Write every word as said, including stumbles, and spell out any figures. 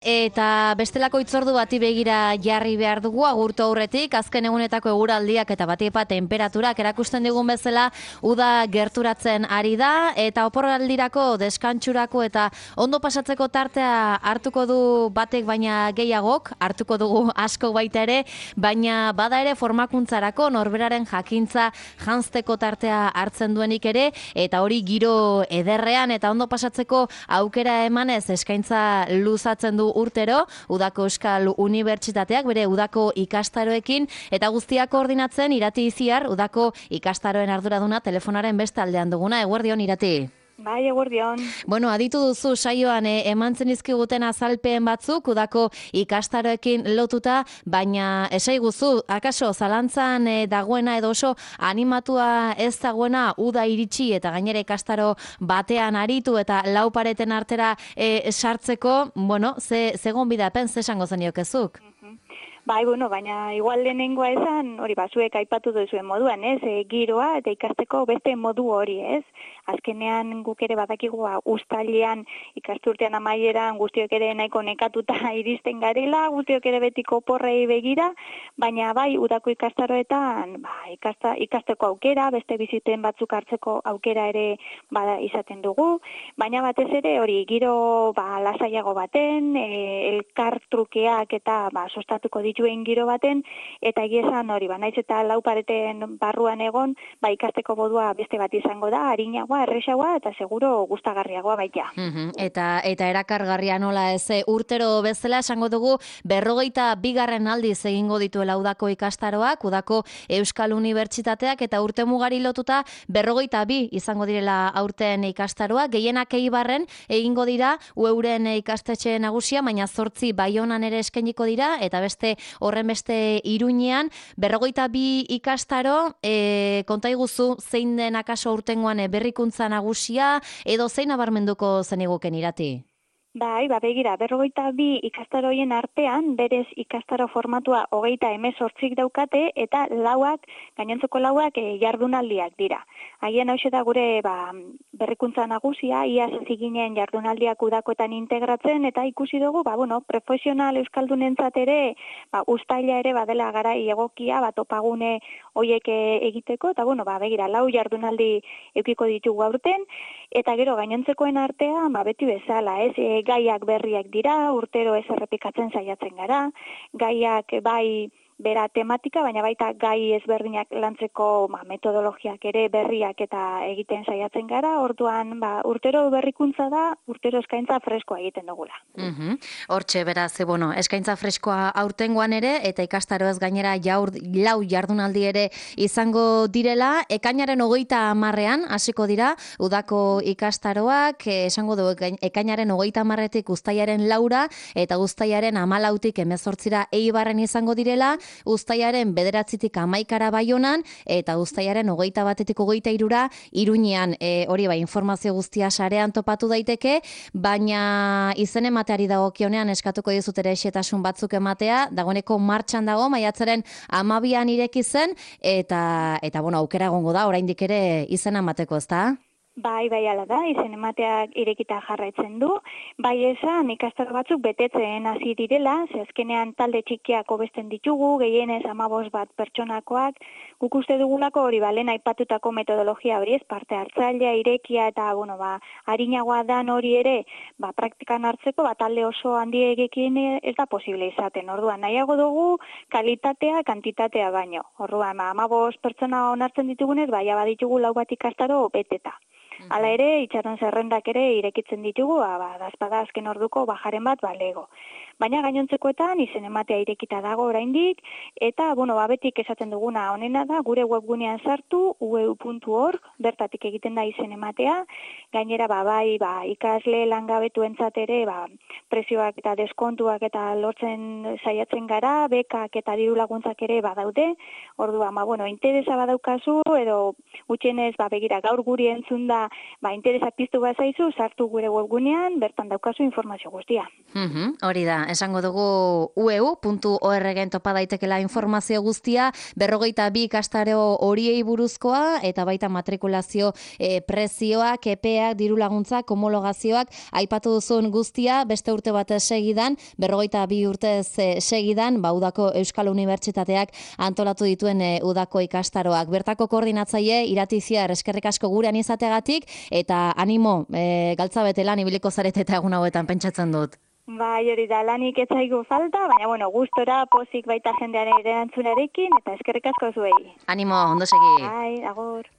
Eta bestelako itzordu bati begira jarri behar dugu agurtu aurretik, azken egunetako eguraldiak eta batiepa temperaturak erakusten digun bezala uda gerturatzen ari da, eta oporraldirako, deskantxurako eta ondo pasatzeko tartea hartuko du batek baina gehiagok, hartuko dugu asko baita ere, baina bada ere formakuntzarako norberaren jakintza janzteko tartea hartzen duenik ere, eta hori giro ederrean eta ondo pasatzeko aukera emanez eskaintza luzatzen du urtero, Udako Euskal Unibertsitateak bere udako ikastaroekin, eta guztiak koordinatzen Irati Iziar, udako ikastaroen arduraduna telefonaren beste aldean duguna. Eguerdion, Irati. Bai, eguerdion. Bueno, aditu duzu saioan eh, emantzen izkiguten azalpen batzuk udako ikastaroekin lotuta, baina esaiguzu, akaso zalantzan eh, dagoena edo oso animatua ez dagoena uda iritsi eta gainera ikastaro batean aritu eta lau pareten artera eh, sartzeko, bueno, ze, ze gonbidapen, ze esango zeniokezuk? Bai, bueno, baina igual lehenengoa esan, hori bazuek aipatu duzuen moduan, ez, e, giroa eta ikasteko beste modu hori, ez. Azkenean guk ere badakigu uztailean ikasturtean amaieran guztiok ere nahiko nekatuta iristen garela, guztiok ere betiko porrei begira, baina bai udako ikastaroetan ba, ikasta, ikasteko aukera, beste biziten batzuk hartzeko aukera ere bada izaten dugu, baina batez ere hori giro ba, lasaiago baten, e, elkar trukeak eta ba, sostatuko dituen giro baten, eta egiesan hori, ba, naiz eta lau pareten barruan egon, ba, ikasteko modua beste bat izango da, harinagoa, erresagoa, eta seguro gustagarriagoa baita. Mm-hmm. Eta eta erakargarria nola ez, urtero bezala esango dugu berrogeita bigarren aldiz egingo dituela udako ikastaroak, udako Euskal Unibertsitateak, eta urte mugari lotuta berrogeita bi izango direla aurten ikastaroak, gehienak Eibarren egingo dira euren ikastetxe nagusia, baina zortzi Baionan ere eskainiko dira, eta beste horren beste Iruñean, berrogeita bi ikastaro, e, konta iguzu zein den akaso urtengoan berrikuntza nagusia, edo zein nabarmenduko zeniguken, Irati? Bai, ba, begira, berrogeita bi ikastaroien artean, berez ikastaro formatua hogeita hemezortzik daukate, eta lauak, gainontzeko lauak e, jardunaldiak dira. Haien hau da gure ba, berrikuntza nagusia, iaz ziginen jardunaldiak udakoetan integratzen, eta ikusi dugu, ba, bueno, profesional euskaldunentzat ere, ba, uztaila ere badela garai egokia, ba, topagune hoiek egiteko, eta bueno, ba, begira, lau jardunaldi eukiko ditugu aurten, eta gero gainontzekoen artean, ba, beti bezala, ez, e, gaiak berriak dira, urtero ez errepikatzen saiatzen gara, gaiak bai bera tematika, baina baita gai ezberdinak lantzeko ba, metodologiak ere berriak eta egiten saiatzen gara, orduan ba, urtero berrikuntza da, urtero eskaintza freskoa egiten dugula. Mm-hmm. Hortxe, beraz, e, bueno, eskaintza freskoa aurtengoan ere, eta ikastaroez gainera jaur, lau jardunaldi ere izango direla, ekainaren hogeita hamarrean hasiko dira, udako ikastaroak, e, esango du, ekainaren hogeita hamarretik uztailaren laura, eta uztailaren hamalautik hemezortzira Eibarren izango direla, uztailaren bederatzitik hamaikara Baionan, eta uztailaren hogeita batetik hogeita hirura Iruñean. E, hori ba, informazio guztia sarean topatu daiteke, baina izen emateari dagokionean eskatuko dizut ere xehetasun batzuk ematea, dagoeneko martxan dago, maiatzaren hamabian ireki zen, eta, eta bueno, aukera egongo da, oraindik ere izena emateko, ezta? Bai, bai, ala da, izen emateak irekita jarraitzen du. Bai esan, ikastaro batzuk betetzen hasi direla, ze azkenean talde txikiak hobesten ditugu, gehienez hamabost bat pertsonakoak, guk uste dugulako hori ba, lehen aipatutako metodologia hori ez, parte hartzailea, irekia eta, bueno, ba, harinagoa dan hori ere, ba, praktikan hartzeko, ba, talde oso handiegekin ez da posible izaten. Orduan, nahiago dugu kalitatea, kantitatea baino. Orduan, ba, hamabost pertsona onartzen ditugunez, bai, baditugu lau bat ikastaro beteta. Hala ere, itxaron zerrendak ere irekitzen ditugu, ba, dazpada azken orduko bajaren bat balego. Baina gainontzekoetan izen ematea irekita dago oraindik, eta, bueno, ba, betik esaten duguna honena da, gure webgunean sartu, u e u puntu org, bertatik egiten da izen ematea, gainera, ba, bai, ba, ikasle langabetuentzat ere, ba, prezioak eta deskontuak eta lortzen saiatzen gara, bekak eta diru laguntzak ere badaude, orduan, ba, bueno, interesa badaukazu, edo gutxienez, ba, begira, gaur guri entzun da, ba, interesa piztu bazaizu, sartu gure webgunean, bertan daukazu informazio guztia. Mm-hmm. Hori da, esango dugu u e u puntu org topa daitekela informazio guztia, berrogeita bi ikastaro horiei buruzkoa, eta baita matrikulazio e, prezioak, epeak, diru laguntzak, homologazioak, aipatu duzun guztia, beste urte bat segidan, berrogeita bi urtez e, segidan, ba, udako Euskal Unibertsitateak antolatu dituen e, udako ikastaroak. Bertako koordinatzaile, Iratiziar, eskerrik asko gurean izateagatik, eta animo, e, galtza bete lan ibiliko zarete eta egun hauetan pentsatzen dut. Bai, hori da, lanik ez zaigu falta, baina, bueno, gustora, pozik baita jendearen erantzunarekin, eta eskerrik asko zuei. Animo, ondo segi. Bai, agur.